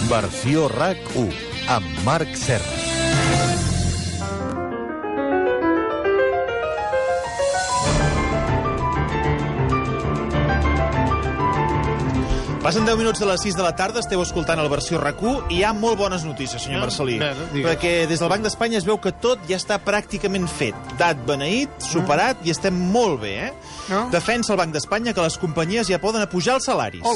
Versió RAC1, amb Marc Serra. Passen 10 minuts de les 6 de la tarda, esteu escoltant el Versió RAC1 i hi ha molt bones notícies, senyor Marcelí. Perquè des del Banc d'Espanya es veu que tot ja està pràcticament fet. Dat beneït, superat i estem molt bé, Defensa el Banc d'Espanya que les companyies ja poden apujar els salaris.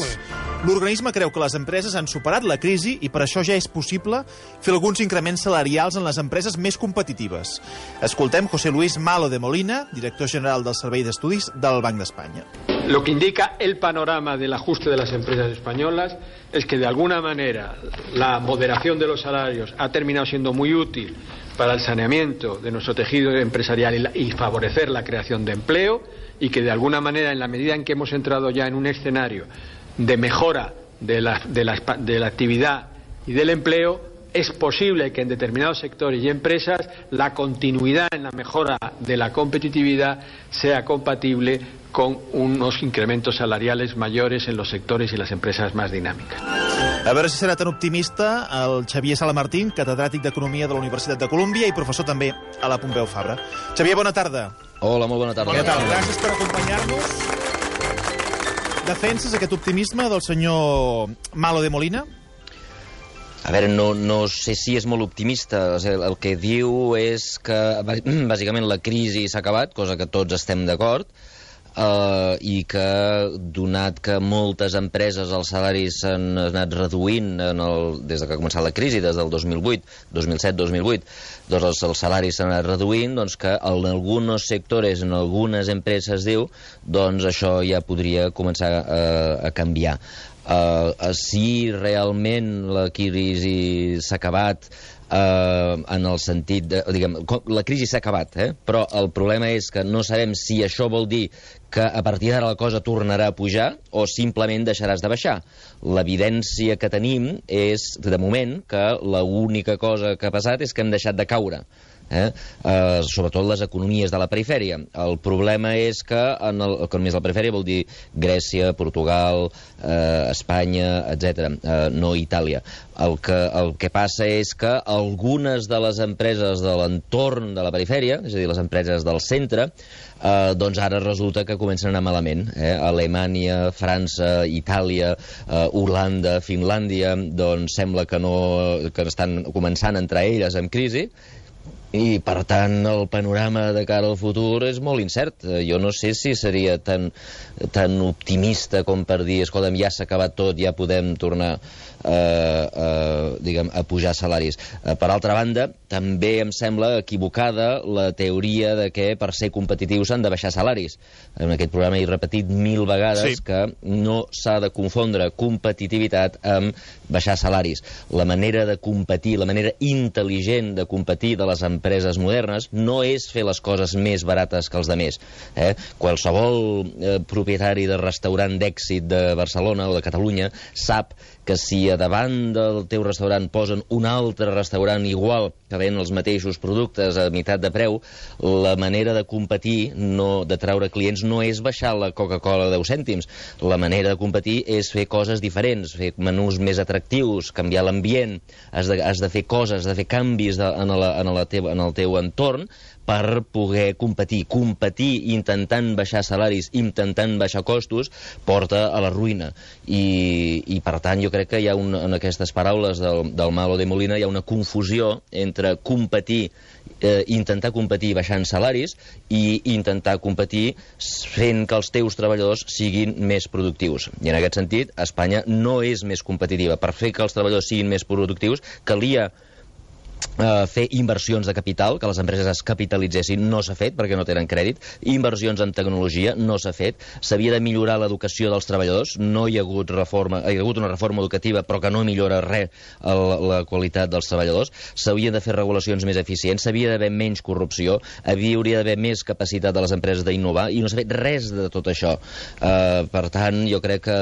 L'organisme creu que les empreses han superat la crisi i per això ja és possible fer alguns increments salarials en les empreses més competitives. Escoltem José Luis Malo de Molina, director general del Servei d'Estudis del Banc d'Espanya. Lo que indica el panorama del ajuste de las empresas españolas es que de alguna manera la moderación de los salarios ha terminado siendo muy útil para el saneamiento de nuestro tejido empresarial y favorecer la creación de empleo, y que de alguna manera, en la medida en que hemos entrado ya en un escenario de mejora de la actividad y del empleo, es posible que en determinados sectores y empresas la continuidad en la mejora de la competitividad sea compatible con unos incrementos salariales mayores en los sectores y las empresas más dinámicas. A veure si serà tan optimista el Xavier Salamartín, catedràtic d'Economia de la Universitat de Colúmbia i professor també a la Pompeu Fabra. Xavier, bona tarda. Hola, molt bona tarda. Bona tarda. Gràcies per acompanyar-nos. Defenses aquest optimisme del senyor Malo de Molina? A veure, no sé si és molt optimista. El que diu és que, bàsicament, la crisi s'ha acabat, cosa que tots estem d'acord, i que, donat que moltes empreses els salaris s'han anat reduint des que ha començat la crisi, des del 2008, 2007-2008, doncs els salaris s'han anat reduint, doncs que en alguns sectors, en algunes empreses, diu, doncs això ja podria començar a canviar. Si realment la crisi s'ha acabat, en el sentit de, diguem, la crisi s'ha acabat, però el problema és que no sabem si això vol dir que a partir d'ara la cosa tornarà a pujar o simplement deixaràs de baixar. L'evidència que tenim és, de moment, que l'única cosa que ha passat és que hem deixat de caure. Sobretot les economies de la perifèria. El problema és que economies de la perifèria vol dir Grècia, Portugal, Espanya, etc., no Itàlia. El que passa és que algunes de les empreses de l'entorn de la perifèria, és a dir, les empreses del centre, doncs ara resulta que comencen a anar malament. Alemanya, França, Itàlia, Holanda, Finlàndia, doncs sembla que estan començant a entrar elles en crisi, i, per tant, el panorama de cara al futur és molt incert. Jo no sé si seria tan optimista com per dir, escolta'm, ja s'ha acabat tot, ja podem tornar a pujar salaris. Per altra banda, també em sembla equivocada la teoria de que per ser competitius s'han de baixar salaris. En aquest programa he repetit 1000 vegades que no s'ha de confondre competitivitat amb baixar salaris. La manera de competir, la manera intel·ligent de competir de les empreses modernes no és fer les coses més barates que els altres. Qualsevol propietari de restaurant d'èxit de Barcelona o de Catalunya sap que si a davant del teu restaurant posen un altre restaurant igual que ven els mateixos productes a meitat de preu, la manera de competir, de treure clients, no és baixar la Coca-Cola 10 cèntims. La manera de competir és fer coses diferents, fer menús més atractius, canviar l'ambient, has de fer coses, has de fer canvis en el teu entorn per poder competir. Competir intentant baixar salaris, intentant baixar costos, porta a la ruïna. I per tant, jo crec que hi ha en aquestes paraules del Malo de Molina hi ha una confusió entre competir, intentar competir baixant salaris i intentar competir fent que els teus treballadors siguin més productius. I en aquest sentit, Espanya no és més competitiva. Per fer que els treballadors siguin més productius, calia fer inversions de capital, que les empreses es capitalitzessin, no s'ha fet perquè no tenen crèdit. Inversions en tecnologia, no s'ha fet. S'havia de millorar l'educació dels treballadors, no hi ha hagut reforma, hi ha hagut una reforma educativa però que no millora res la qualitat dels treballadors. S'havien de fer regulacions més eficients, s'havia d'haver menys corrupció, hauria d'haver més capacitat de les empreses d'innovar, i no s'ha fet res de tot això. Per tant, jo crec que,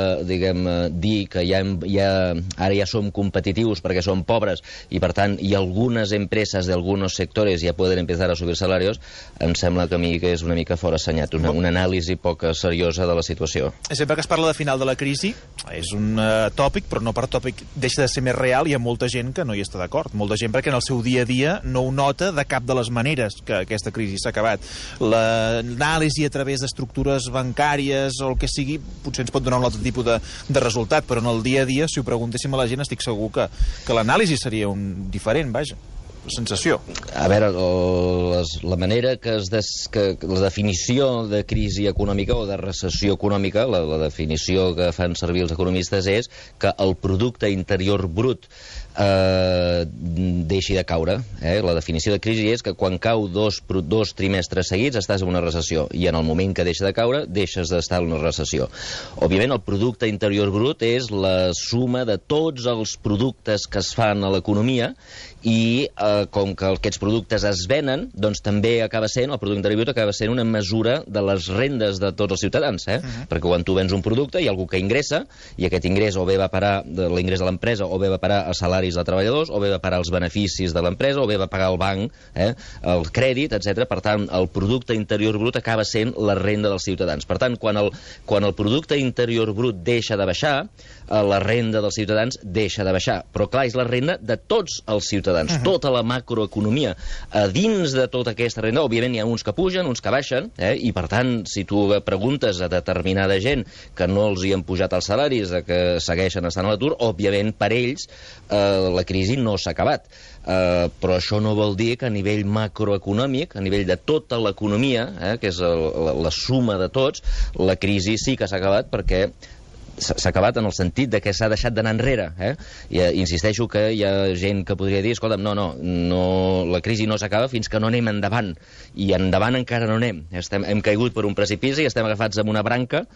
dir que ara ja som competitius perquè som pobres i per tant hi ha algun algunes empreses de algunos sectores ja poden empezar a subir salarios, em sembla que a mi que és una mica fora assenyat, una anàlisi poc seriosa de la situació. Sempre que es parla de final de la crisi, és un tòpic, però no per tòpic deixa de ser més real, i hi ha molta gent que no hi està d'acord. Molta gent perquè en el seu dia a dia no ho nota de cap de les maneres que aquesta crisi s'ha acabat. L'anàlisi a través d'estructures bancàries o el que sigui potser ens pot donar un altre tipus de resultat, però en el dia a dia, si ho preguntéssim a la gent, estic segur que l'anàlisi seria diferent, vaja, la sensació. A veure, la manera que la definició de crisi econòmica o de recessió econòmica, la definició que fan servir els economistes és que el producte interior brut deixi de caure. La definició de crisi és que quan cau dos trimestres seguits estàs en una recessió, i en el moment que deixa de caure deixes d'estar en una recessió. Òbviament el producte interior brut és la suma de tots els productes que es fan a l'economia, i com que aquests productes es venen, doncs també acaba sent, el producte interior brut acaba sent una mesura de les rendes de tots els ciutadans, perquè quan tu vens un producte hi ha algú que ingressa, i aquest ingrés o bé va parar l'ingrés de l'empresa, o bé va parar a salaris de treballadors, o bé va parar als beneficis de l'empresa, o bé va pagar el banc, el crèdit, etc. Per tant, el producte interior brut acaba sent la renda dels ciutadans. Per tant, quan el producte interior brut deixa de baixar, la renda dels ciutadans deixa de baixar. Però clar, és la renda de tots els ciutadans, tota la macroeconomia. A dins de tota aquesta renda, òbviament hi ha uns que pugen, uns que baixen, i per tant, si tu preguntes a determinada gent que no els hi han pujat els salaris, que segueixen estant a l'atur, òbviament per ells la crisi no s'ha acabat. Però això no vol dir que a nivell macroeconòmic, a nivell de tota l'economia, que és la suma de tots, la crisi sí que s'ha acabat, perquè s'ha acabat en el sentit de que s'ha deixat d'anar enrere. I insisteixo que hi ha gent que podria dir, escolta'm, no, la crisi no s'acaba fins que no anem endavant, i endavant encara no anem. Hem caigut per un precipici, estem agafats amb una branca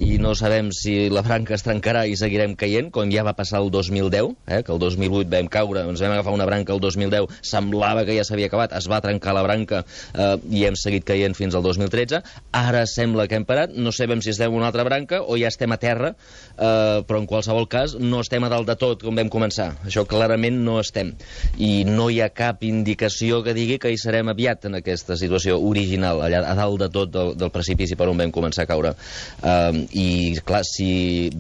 i no sabem si la branca es trencarà i seguirem caient, com ja va passar el 2010, que el 2008 vam caure, ens vam agafar una branca el 2010, semblava que ja s'havia acabat, es va trencar la branca i hem seguit caient fins al 2013. Ara sembla que hem parat, no sabem si estem en una altra branca o ja estem a terra, però en qualsevol cas no estem a dalt de tot com vam començar. Això clarament no estem, i no hi ha cap indicació que digui que hi serem aviat en aquesta situació original, allà a dalt de tot del precipici per on vam començar a caure. I clar, si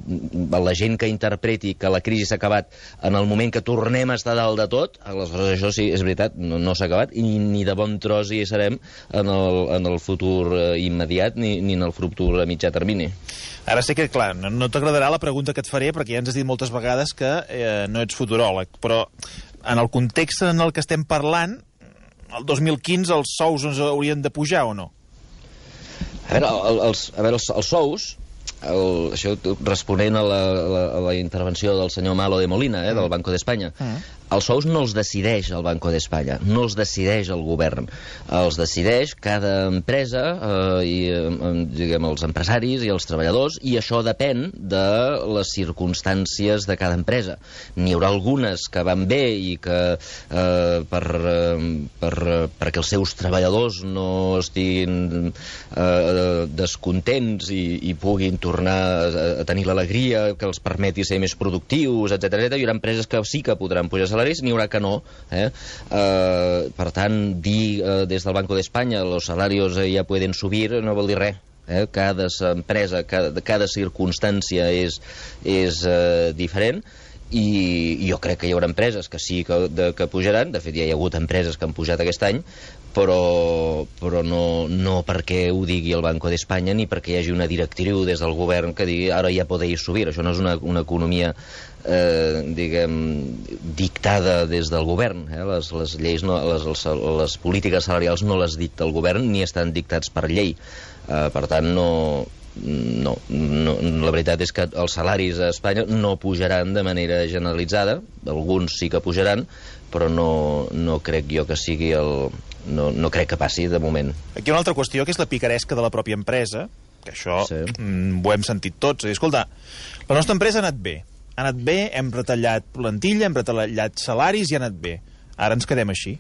la gent que interpreti que la crisi s'ha acabat en el moment que tornem a estar dalt de tot, aleshores això sí, és veritat, no s'ha acabat, i ni de bon tros hi serem en el futur immediat ni en el futur a mitjà termini. Ara sé que, clar, no t'agradarà la pregunta que et faré, perquè ja ens has dit moltes vegades que no ets futuròleg, però en el context en el que estem parlant, el 2015 els sous ens haurien de pujar o no? A veure, els sous, això responent a la intervenció del senyor Malo de Molina, del Banco d'Espanya, els sous no els decideix el Banco d'Espanya, no els decideix el govern, els decideix cada empresa, diguem, els empresaris i els treballadors, i això depèn de les circumstàncies de cada empresa. N'hi haurà algunes que van bé i que perquè els seus treballadors no estiguin descontents i puguin tornar a tenir l'alegria que els permeti ser més productius, etc. Hi haurà empreses que sí que podran pujar salaris, n'hi haurà que no. Per tant, dir des del Banco d'Espanya los salarios ya pueden subir no vol dir res. Cada empresa, cada circumstància és diferent, i jo crec que hi haurà empreses que sí que pujaran. De fet, ja hi ha hagut empreses que han pujat aquest any, però no perquè ho digui el Banco d'Espanya ni perquè hi hagi una directriu des del govern que digui ara ja podeu subir. Això no és una economia diguem, dictada des del govern. Les lleis, les polítiques salarials no les dicta el govern ni estan dictats per llei. Per tant, la veritat és que els salaris a Espanya no pujaran de manera generalitzada, alguns sí que pujaran, però no crec jo que sigui no crec que passi de moment. Aquí hi ha una altra qüestió, que és la picaresca de la pròpia empresa, que això ho hem sentit tots. Escolta, la nostra empresa ha anat bé, hem retallat plantilla, hem retallat salaris i ha anat bé. Ara ens quedem així,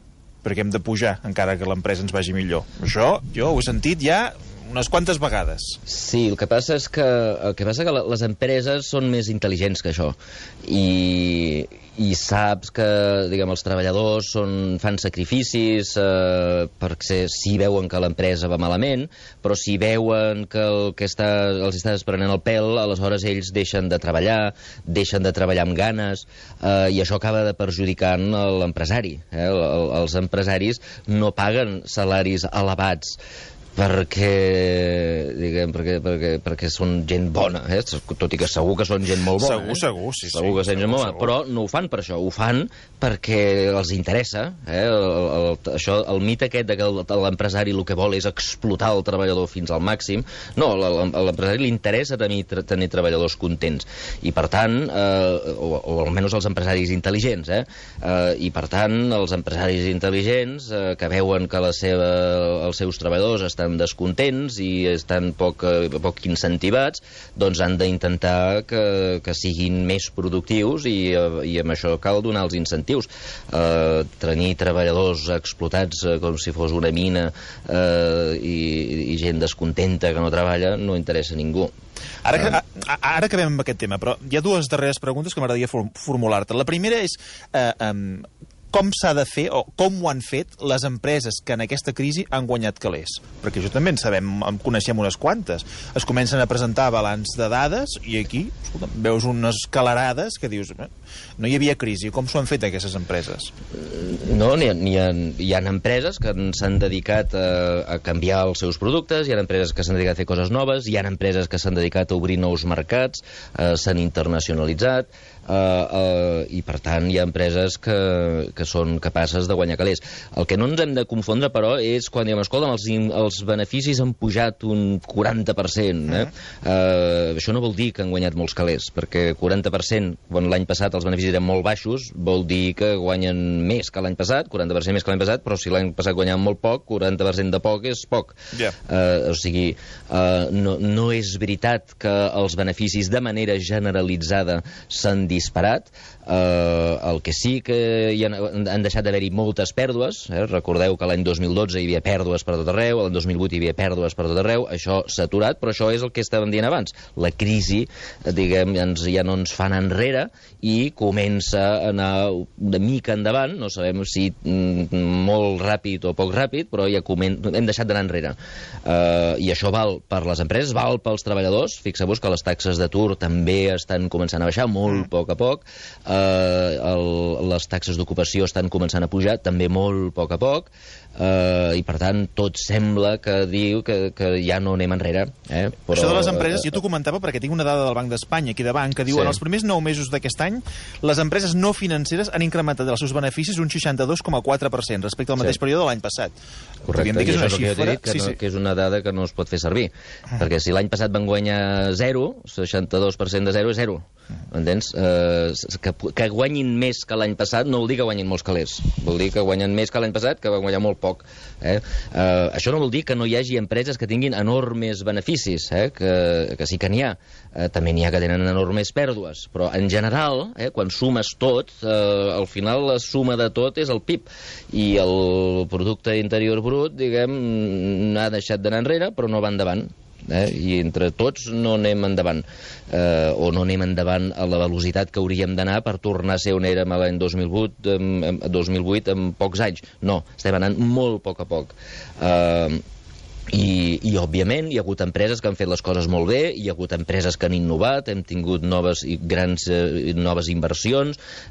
perquè hem de pujar, encara que l'empresa ens vagi millor. Això jo ho he sentit ja unes quantes vegades. Sí, el que passa és que les empreses són més intel·ligents que això, i i saps que, diguem, els treballadors fan sacrificis perquè si veuen que l'empresa va malament, però si veuen que el que els estàs prenent el pèl, aleshores ells deixen de treballar amb ganes, i això acaba perjudicant l'empresari. Els empresaris no paguen salaris elevats perquè són gent bona, tot i que segur que són gent molt bona. Segur, sí. Segur que són gent molt bona, però no ho fan per això, ho fan perquè els interessa. El mite aquest que l'empresari el que vol és explotar el treballador fins al màxim. No, a l'empresari li interessa tenir treballadors contents. I per tant, o almenys els empresaris intel·ligents, i per tant, els empresaris intel·ligents que veuen que els seus treballadors estan descontents i estan poc incentivats, doncs han d'intentar que siguin més productius i amb això cal donar els incentius. Tenir treballadors explotats com si fos una mina i gent descontenta que no treballa no interessa a ningú. Ara acabem amb aquest tema, però hi ha dues darreres preguntes que m'agradaria formular-te. La primera és com s'ha de fer, o com ho han fet les empreses que en aquesta crisi han guanyat calés? Perquè això també en coneixem unes quantes. Es comencen a presentar balanç de dades i aquí, escolta, veus unes calarades que dius, no hi havia crisi. Com s'ho han fet aquestes empreses? No, hi ha empreses que s'han dedicat a canviar els seus productes, hi ha empreses que s'han dedicat a fer coses noves, hi ha empreses que s'han dedicat a obrir nous mercats, s'han internacionalitzat, i per tant hi ha empreses que són capaces de guanyar calés. El que no ens hem de confondre, però, és quan diem, escolta, els beneficis han pujat un 40%. Això no vol dir que han guanyat molts calés, perquè 40%, quan l'any passat els beneficis eren molt baixos, vol dir que guanyen més que l'any passat, 40% més que l'any passat, però si l'any passat guanyaven molt poc, 40% de poc és poc. O sigui, no és veritat que els beneficis de manera generalitzada s'han disparat. El que sí que han deixat d'haver-hi moltes pèrdues. Recordeu que l'any 2012 hi havia pèrdues per tot arreu, l'any 2008 hi havia pèrdues per tot arreu, això s'ha aturat, però això és el que estàvem dient abans. La crisi, diguem, ja no ens fa anar enrere i comença a anar una mica endavant, no sabem si molt ràpid o poc ràpid, però ja hem deixat d'anar enrere. I això val per les empreses, val pels treballadors. Fixeu-vos que les taxes d'atur també estan començant a baixar molt a poc. Les taxes d'ocupació estan començant a pujar, també molt a poc, i per tant tot sembla que diu que ja no anem enrere. Però, això de les empreses, jo t'ho comentava perquè tinc una dada del Banc d'Espanya aquí davant que diu en els primers 9 mesos d'aquest any les empreses no financeres han incrementat els seus beneficis un 62,4% respecte al mateix període de l'any passat. Correcte, i això és el que jo dic, que és una dada que no es pot fer servir, perquè si l'any passat van guanyar 0, 62% de 0 és 0. Entens? Que guanyin més que l'any passat no vol dir que guanyin molts calés, vol dir que guanyen més que l'any passat, que van guanyar molt poc. Això no vol dir que no hi hagi empreses que tinguin enormes beneficis, que sí que n'hi ha. També n'hi ha que tenen enormes pèrdues, però en general, quan sumes tot, al final la suma de tot és el PIB, i el producte interior brut, diguem, ha deixat d'anar enrere, però no va endavant. I entre tots no anem endavant, o no anem endavant a la velocitat que hauríem d'anar per tornar a ser on érem l'any 2008 en pocs anys. No, estem anant molt a poc. I òbviament hi ha hagut empreses que han fet les coses molt bé, hi ha hagut empreses que han innovat, hem tingut noves inversions,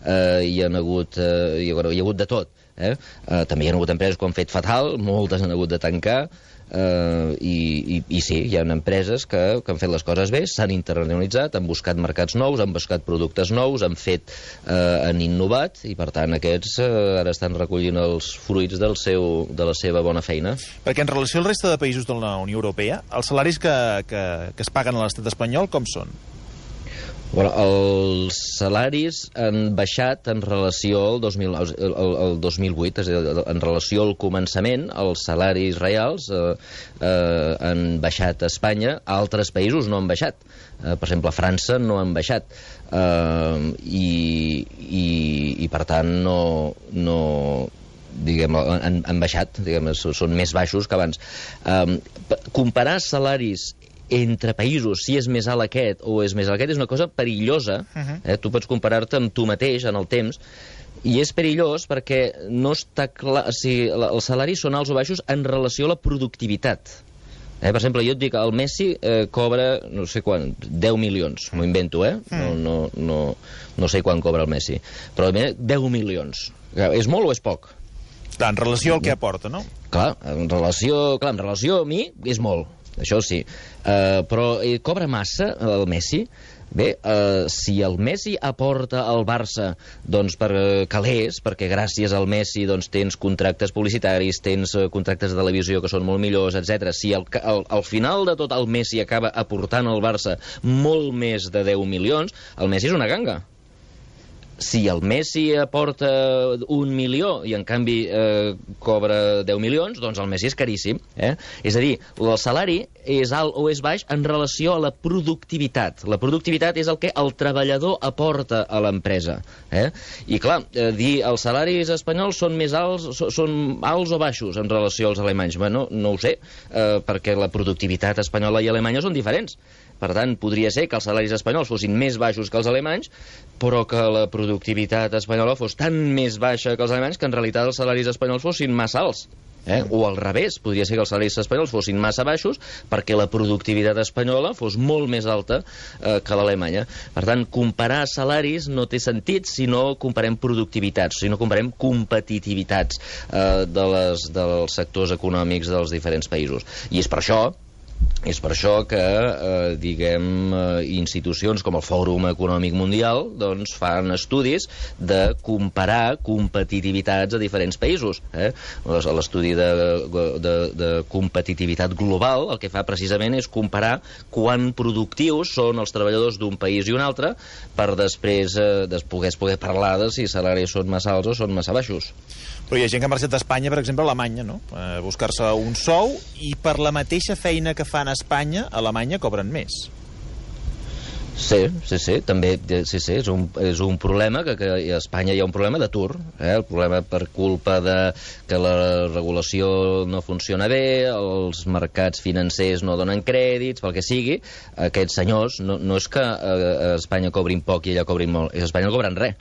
hi ha hagut de tot. També hi ha hagut empreses que ho han fet fatal, moltes han hagut de tancar, i sí, hi ha empreses que han fet les coses bé, s'han internacionalitzat, han buscat mercats nous, han buscat productes nous, han innovat, i per tant aquests ara estan recollint els fruits de la seva bona feina. Perquè en relació al resta de països de la Unió Europea, els salaris que es paguen a l'estat espanyol com són? Els salaris han baixat en relació al 2008, és a dir, en relació al començament, els salaris reals han baixat a Espanya, a altres països no han baixat. Per exemple, a França no han baixat. I per tant han baixat, són més baixos que abans. Comparar salaris entre països, si és més alt aquest o és més alt aquest, és una cosa perillosa. Tu pots comparar-te amb tu mateix en el temps, i és perillós perquè no està clar... O sigui, els salaris són alts o baixos en relació a la productivitat. Per exemple, jo et dic, el Messi cobra, no sé quan, 10 milions, m'ho invento, no sé quan cobra el Messi, però 10 milions. És molt o és poc? Clar, en relació al que aporta, no? Clar, en relació a mi és molt, això sí. Però cobra massa el Messi? Bé, si el Messi aporta al Barça doncs per calés, perquè gràcies al Messi doncs tens contractes publicitaris, tens contractes de televisió que són molt millors, etc. Si al final de tot el Messi acaba aportant al Barça molt més de 10 milions, el Messi és una ganga. Si el Messi aporta 1 milió i en canvi cobra 10 milions, doncs el Messi és caríssim. És a dir, el salari és alt o és baix en relació a la productivitat. La productivitat és el que el treballador aporta a l'empresa. I clar, dir els salaris espanyols són més alts, són alts o baixos en relació als alemanys? Bueno, no ho sé, perquè la productivitat espanyola i alemanya són diferents. Per tant, podria ser que els salaris espanyols fossin més baixos que els alemanys, però que la productivitat espanyola fos tan més baixa que els alemanys que en realitat els salaris espanyols fossin massa alts. O al revés, podria ser que els salaris espanyols fossin massa baixos perquè la productivitat espanyola fos molt més alta que l'alemanya. Per tant, comparar salaris no té sentit si no comparem productivitats, si no comparem competitivitats dels sectors econòmics dels diferents països. I és per això que, institucions com el Fòrum Econòmic Mundial doncs fan estudis de comparar competitivitats a diferents països. L'estudi de competitivitat global el que fa precisament és comparar quan productius són els treballadors d'un país i un altre per després poder parlar de si salaris són massa alts o són massa baixos. Però hi ha gent que ha marxat d'Espanya, per exemple, a Alemanya, no? A buscar-se un sou i per la mateixa feina que fan a Espanya, a Alemanya cobren més. Sí, també és un problema, que a Espanya hi ha un problema d'atur, el problema per culpa de que la regulació no funciona bé, els mercats financers no donen crèdits, pel que sigui. Aquests senyors, no és que a Espanya cobrin poc i allà cobrin molt, a Espanya no cobren res,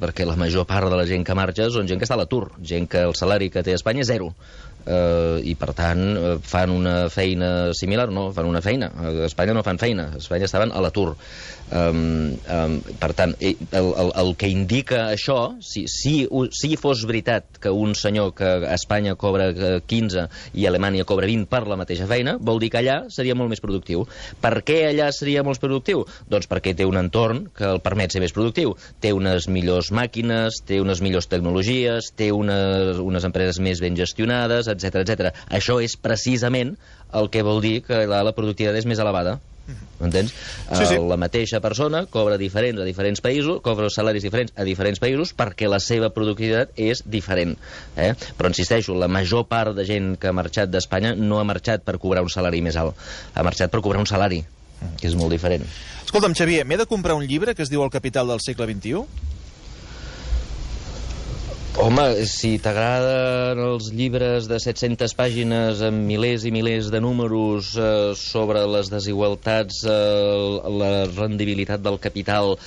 perquè la major part de la gent que marxa són gent que està a l'atur, gent que el salari que té a Espanya és zero. I per tant fan una feina similar, no, fan una feina a Espanya no fan feina, a Espanya estaven a l'atur. Per tant, el que indica això, si fos veritat que un senyor que a Espanya cobra 15 i a Alemanya cobra 20 per la mateixa feina, vol dir que allà seria molt més productiu. Per què allà seria molt productiu? Doncs perquè té un entorn que el permet ser més productiu, té unes millors màquines, té unes millors tecnologies, té unes empreses més ben gestionades, etc. Això és precisament el que vol dir que la productivitat és més elevada. Entens? Sí. La mateixa persona cobra diferents a diferents països, cobra salaris diferents a diferents països perquè la seva productivitat és diferent. Però insisteixo, la major part de gent que ha marxat d'Espanya no ha marxat per cobrar un salari més alt, ha marxat per cobrar un salari, que és molt diferent. Escolta'm, Xavier, m'he de comprar un llibre que es diu El capital del segle XXI? Home, si t'agraden els llibres de 700 pàgines amb milers i milers de números sobre les desigualtats, la rendibilitat del capital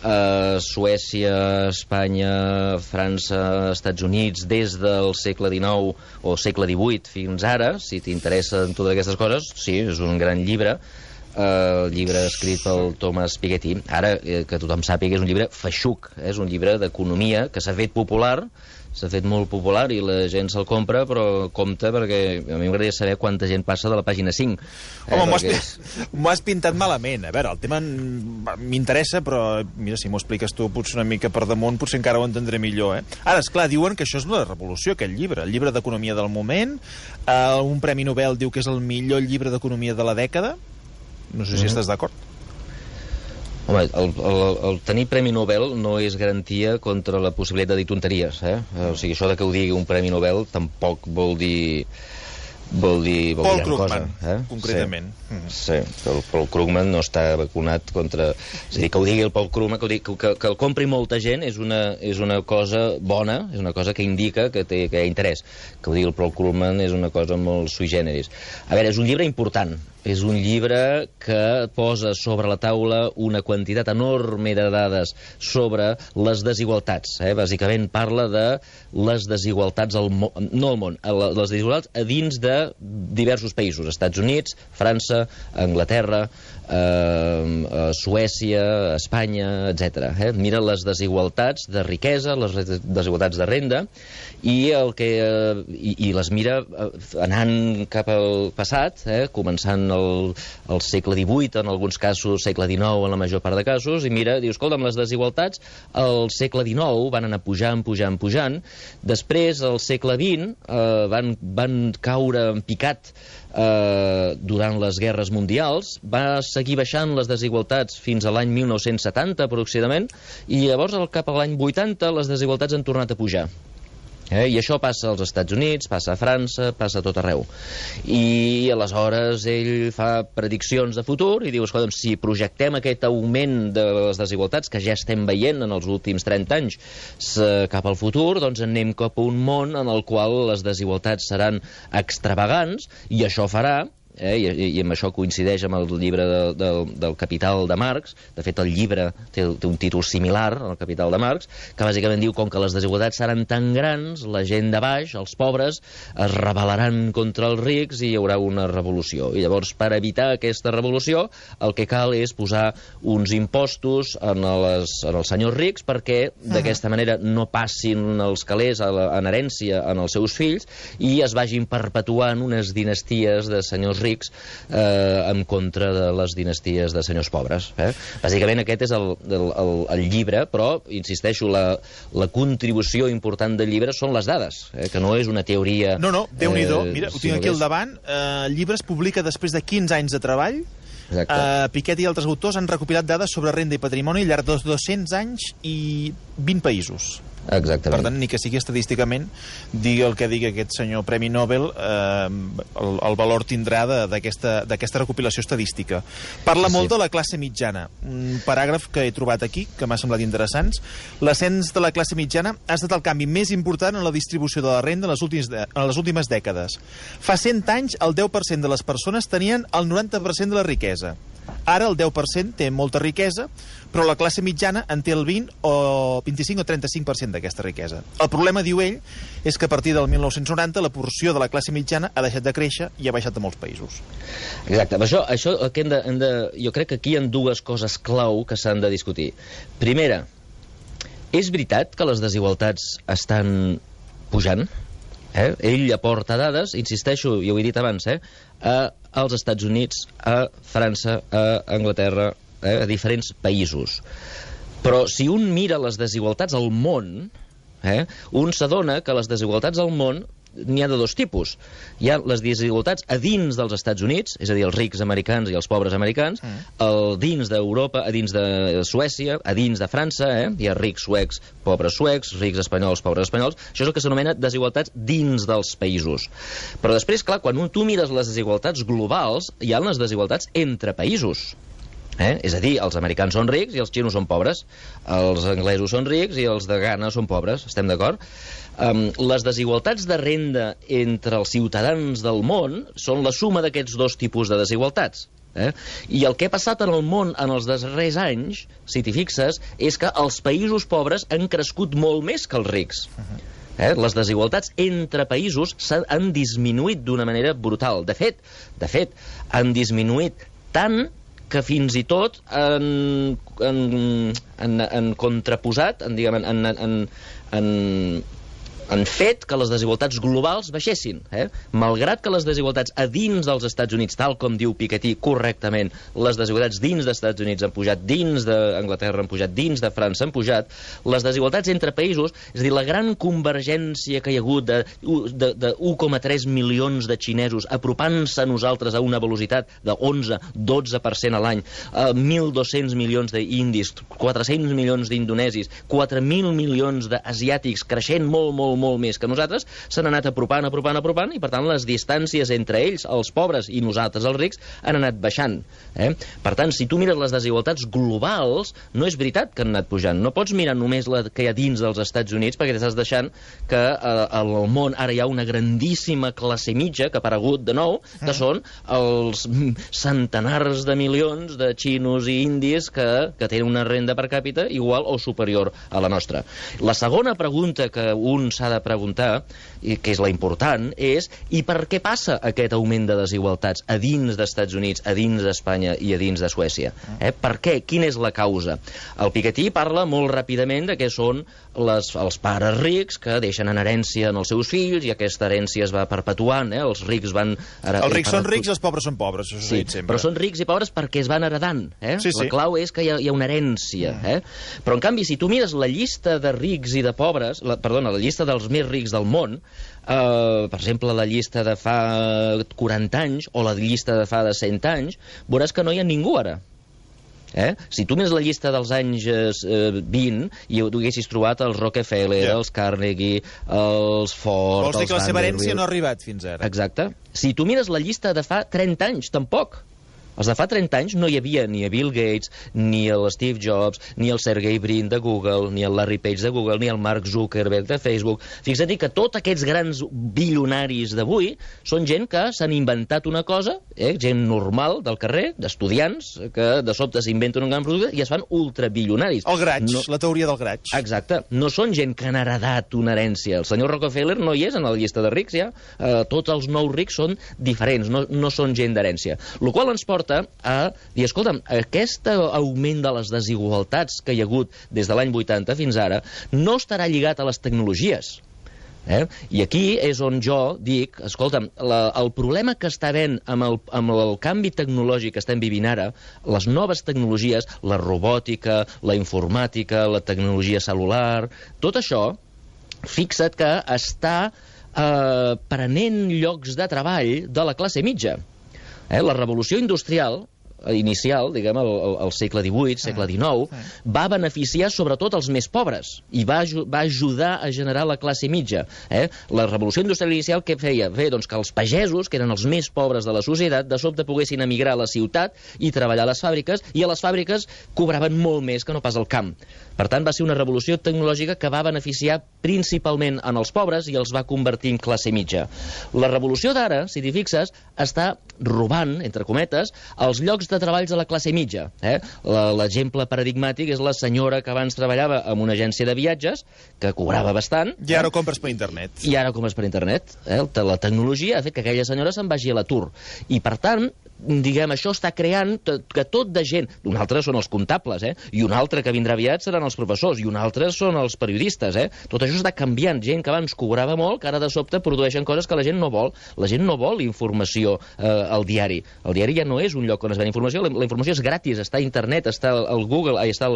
a Suècia, Espanya, França, Estats Units, des del segle XIX o segle XVIII fins ara, si t'interessen totes aquestes coses, sí, és un gran llibre. El llibre escrit pel Thomas Piketty. Ara, que tothom sàpiga, és un llibre feixuc, és un llibre d'economia que s'ha fet popular, s'ha fet molt popular i la gent se'l compra, però compte, perquè a mi m'agradaria saber quanta gent passa de la pàgina 5. Home, m'ho has pintat malament. A veure, el tema m'interessa, però mira, si m'ho expliques tu potser una mica per damunt, potser encara ho entendré millor. Ara, esclar, diuen que això és una revolució, aquest llibre, el llibre d'economia del moment. Un Premi Nobel diu que és el millor llibre d'economia de la dècada. No sé si estàs d'acord. Home, el tenir Premi Nobel no és garantia contra la possibilitat de dir tonteries, O sigui, això de que ho digui un Premi Nobel tampoc vol dir Paul Krugman, concretament. Sí, el Paul Krugman no està vacunat contra... És a dir, que ho digui el Paul Krugman, que el compri molta gent és una cosa bona, és una cosa que indica que hi ha interès. Que ho digui el Paul Krugman és una cosa molt sui generis. A veure, és un llibre important, és un llibre que posa sobre la taula una quantitat enorme de dades sobre les desigualtats. Bàsicament parla de les desigualtats no al món, les desigualtats a dins de diversos països, Estats Units, França, Anglaterra, Suècia, Espanya, etc. Mira les desigualtats de riquesa, les desigualtats de renda, i les mira anant cap al passat, començant al segle XVIII, en alguns casos, segle XIX en la major part de casos, i mira, diu, escolta, amb les desigualtats al segle XIX van anar pujant, després al segle XX van caure en picat durant les guerres mundials, va seguir baixant les desigualtats fins a l'any 1970 aproximadament, i llavors cap a l'any 80 les desigualtats han tornat a pujar. I això passa als Estats Units, passa a França, passa a tot arreu. I aleshores ell fa prediccions de futur i diu, escolta, si projectem aquest augment de les desigualtats que ja estem veient en els últims 30 anys cap al futur, doncs anem cap a un món en el qual les desigualtats seran extravagants, i això farà, i amb això coincideix amb el llibre del Capital de Marx. De fet, el llibre té un títol similar al Capital de Marx, que bàsicament diu, com que les desigualtats seran tan grans, la gent de baix, els pobres, es rebel·laran contra els rics i hi haurà una revolució. I llavors, per evitar aquesta revolució, el que cal és posar uns impostos en els senyors rics perquè d'aquesta manera no passin els calés en herència en els seus fills i es vagin perpetuant unes dinasties de senyors rics en contra de les dinasties de senyors pobres. Bàsicament aquest és el llibre, però, insisteixo, la contribució important del llibre són les dades, que no és una teoria... No, Déu-n'hi-do. Mira, ho tinc aquí al davant. El llibre es publica després de 15 anys de treball. Piketty i altres autors han recopilat dades sobre renda i patrimoni al llarg de 200 anys i 20 països. Exactament. Per tant, ni que sigui estadísticament, digui el que digui aquest senyor Premi Nobel, el valor tindrà d'aquesta recopilació estadística. Parla molt de la classe mitjana. Un paràgraf que he trobat aquí, que m'ha semblat interessant. L'ascens de la classe mitjana ha estat el canvi més important en la distribució de la renda en les últimes dècades. Fa 100 anys, el 10% de les persones tenien el 90% de la riquesa. Ara el 10% té molta riquesa, però la classe mitjana en té el 20 o 25 o 35% d'aquesta riquesa. El problema, diu ell, és que a partir del 1990 la porció de la classe mitjana ha deixat de créixer i ha baixat a molts països. Exacte. Això que jo crec que aquí hi ha dues coses clau que s'han de discutir. Primera, és veritat que les desigualtats estan pujant? Ell aporta dades, insisteixo, ja ho he dit abans, als Estats Units, a França, a Anglaterra, a diferents països. Però si un mira les desigualtats al món, un s'adona que les desigualtats al món n'hi ha de dos tipus. Hi ha les desigualtats a dins dels Estats Units, és a dir, els rics americans i els pobres americans, dins d'Europa, a dins de Suècia, a dins de França, hi ha rics suecs, pobres suecs, rics espanyols, pobres espanyols. Això és el que s'anomena desigualtats dins dels països. Però després, clar, quan tu mires les desigualtats globals, hi ha les desigualtats entre països. És a dir, els americans són rics i els xinos són pobres, els anglesos són rics i els de Ghana són pobres, estem d'acord? Les desigualtats de renda entre els ciutadans del món són la suma d'aquests dos tipus de desigualtats. I el que ha passat en el món en els darrers anys, si t'hi fixes, és que els països pobres han crescut molt més que els rics. Les desigualtats entre països han disminuït d'una manera brutal. De fet, han disminuït tant que fins i tot han contraposat, han fet que les desigualtats globals baixessin. Malgrat que les desigualtats a dins dels Estats Units, tal com diu Piketty correctament, les desigualtats dins dels Estats Units han pujat, dins d'Anglaterra han pujat, dins de França han pujat, les desigualtats entre països, és a dir, la gran convergència que hi ha hagut de 1,3 milions de xinesos apropant-se a nosaltres a una velocitat de 11-12% a l'any, 1.200 milions d'indis, 400 milions d'indonesis, 4.000 milions d'asiàtics creixent molt, molt, molt més que nosaltres, s'han anat apropant, i per tant les distàncies entre ells, els pobres, i nosaltres, els rics, han anat baixant. Per tant, si tu mires les desigualtats globals, no és veritat que han anat pujant. No pots mirar només la que hi ha dins dels Estats Units, perquè t'estàs deixant que al món ara hi ha una grandíssima classe mitja que ha aparegut de nou, que són els centenars de milions de xinos i indis que tenen una renda per càpita igual o superior a la nostra. La segona pregunta que un s'ha de preguntar, i que és la important, és i per què passa aquest augment de desigualtats a dins dels Estats Units, a dins d'Espanya i a dins de Suècia? Per què? Quina és la causa? El Piketty parla molt ràpidament de què són els pares rics que deixen en herència als seus fills i aquesta herència es va perpetuant. Els rics van... Els rics són rics i els pobres són pobres, això s'ha dit sempre. Però són rics i pobres perquè es van heredant. La clau és que hi ha una herència. Però, en canvi, si tu mires la llista de rics i de pobres, la llista dels més rics del món, per exemple, la llista de fa 40 anys o la llista de fa de 100 anys, veuràs que no hi ha ningú ara. Si tu mires la llista dels anys 20 i ho haguessis trobat els Rockefeller, els Carnegie, els Ford... Vols dir que la seva herència no ha arribat fins ara? Exacte. Si tu mires la llista de fa 30 anys, tampoc. Els de fa 30 anys no hi havia ni a Bill Gates, ni el Steve Jobs, ni el Sergey Brin de Google, ni el Larry Page de Google, ni el Mark Zuckerberg de Facebook. Fixa't que tots aquests grans bilionaris d'avui són gent que s'han inventat una cosa, gent normal del carrer, d'estudiants, que de sobte s'inventen un gran producte i es fan ultrabilionaris. El graig, la teoria del graig. Exacte. No són gent que han heredat una herència. El senyor Rockefeller no hi és en la llista de rics, ja. Tots els nous rics són diferents, no són gent d'herència. El qual ens porta a dir, escolta'm, aquest augment de les desigualtats que hi ha hagut des de l'any 80 fins ara no estarà lligat a les tecnologies. I aquí és on jo dic, escolta'm, el problema que està havent amb el canvi tecnològic que estem vivint ara, les noves tecnologies, la robòtica, la informàtica, la tecnologia cel·lular, tot això, fixa't que està prenent llocs de treball de la classe mitja. La revolució industrial inicial, diguem, al segle XVIII, segle XIX, va beneficiar sobretot els més pobres i va ajudar a generar la classe mitja. La revolució industrial inicial què feia? Feia doncs, que els pagesos, que eren els més pobres de la societat, de sobte poguessin emigrar a la ciutat i treballar a les fàbriques, i a les fàbriques cobraven molt més que no pas al camp. Per tant, va ser una revolució tecnològica que va beneficiar principalment en els pobres i els va convertir en classe mitja. La revolució d'ara, si t'hi fixes, està robant, entre cometes, els llocs de treballs de la classe mitja. L'exemple paradigmàtic és la senyora que abans treballava en una agència de viatges, que cobrava bastant. I ara ho compres per internet. I ara ho compres per internet. La tecnologia ha fet que aquella senyora se'n vagi a l'atur. I, per tant, diguem, això està creant que tot de gent... Un altre són els comptables, i un altre que vindrà aviat seran els professors, i un altre són els periodistes, Tot això està canviant. Gent que abans cobrava molt, que ara de sobte produeixen coses que la gent no vol. La gent no vol informació al diari. El diari ja no és un lloc on es ven informació. La informació és gratis, està a internet, està al Google, està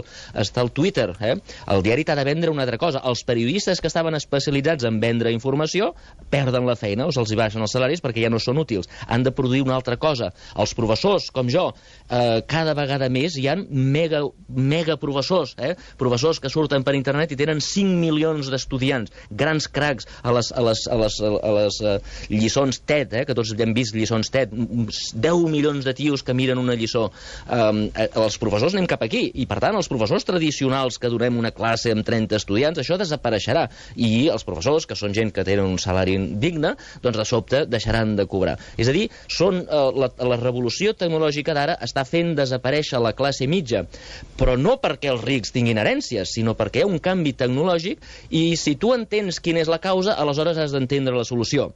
al Twitter. El diari t'ha de vendre una altra cosa. Els periodistes que estaven especialitzats en vendre informació perden la feina o se'ls baixen els salaris perquè ja no són útils. Han de produir una altra cosa. Els professors, com jo, cada vegada més hi ha mega professors, professors que surten per internet i tenen 5 milions d'estudiants, grans cracs a les lliçons TED, que tots hem vist lliçons TED, 10 milions de tios que miren una lliçó. Els professors anem cap aquí, i per tant els professors tradicionals que donem una classe amb 30 estudiants, això desapareixerà, i els professors, que són gent que tenen un salari digne, doncs de sobte deixaran de cobrar. És a dir, la revolució tecnològica d'ara està fent desaparèixer la classe mitja, però no perquè els rics tinguin herències, sinó perquè hi ha un canvi tecnològic, i si tu entens quina és la causa, aleshores has d'entendre la solució.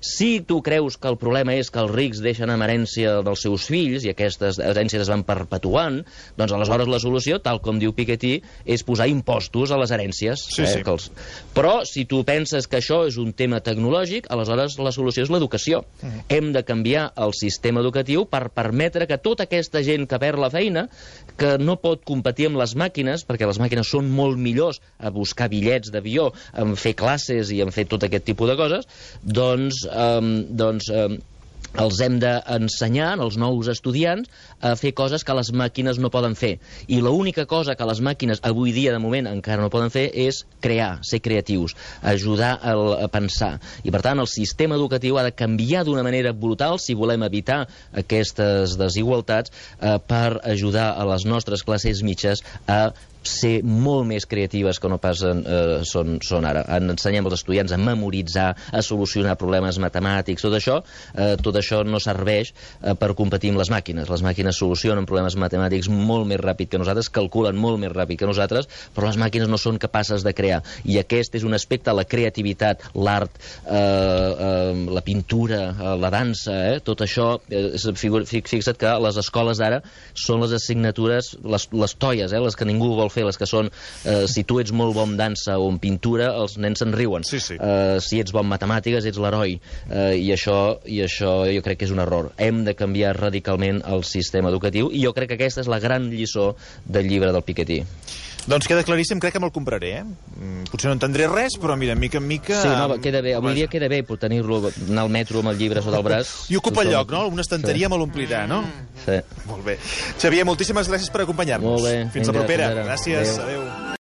Si tu creus que el problema és que els rics deixen en herència dels seus fills i aquestes herències es van perpetuant, doncs aleshores la solució, tal com diu Piketty, és posar impostos a les herències. Però si tu penses que això és un tema tecnològic, aleshores la solució és l'educació. Hem de canviar el sistema educatiu per permetre que tota aquesta gent que perd la feina, que no pot competir amb les màquines, perquè les màquines són molt millors a buscar bitllets d'avió, a fer classes i a fer tot aquest tipus de coses, els hem d'ensenyar, als nous estudiants, a fer coses que les màquines no poden fer. I l'única cosa que les màquines avui dia, de moment, encara no poden fer és crear, ser creatius, ajudar a pensar. I, per tant, el sistema educatiu ha de canviar d'una manera brutal si volem evitar aquestes desigualtats per ajudar a les nostres classes mitges a ser molt més creatives que no pas són ara. Ensenyem als estudiants a memoritzar, a solucionar problemes matemàtics, tot això no serveix per competir amb les màquines. Les màquines solucionen problemes matemàtics molt més ràpid que nosaltres, calculen molt més ràpid que nosaltres, però les màquines no són capaces de crear. I aquest és un aspecte, la creativitat, l'art, la pintura, la dansa, tot això, fixa't que les escoles d'ara són les assignatures, les toies, les que ningú vol fer, les que són, si tu ets molt bon dansa o en pintura, els nens se'n riuen. Sí, sí. Si ets bon matemàtiques, ets l'heroi. I això jo crec que és un error. Hem de canviar radicalment el sistema educatiu i jo crec que aquesta és la gran lliçó del llibre del Piketty. Doncs queda claríssim, crec que me'l compraré, Potser no entendré res, però mira, mica en mica... Sí, no, queda bé. Avui dia queda bé tenir-lo, anar al metro amb el llibre sota el braç. I ocupa el lloc, no? Una estanteria me l'omplirà, no? Sí. Molt bé. Xavier, moltíssimes gràcies per acompanyar-nos. Molt bé. Fins la propera. Gràcies. Adéu.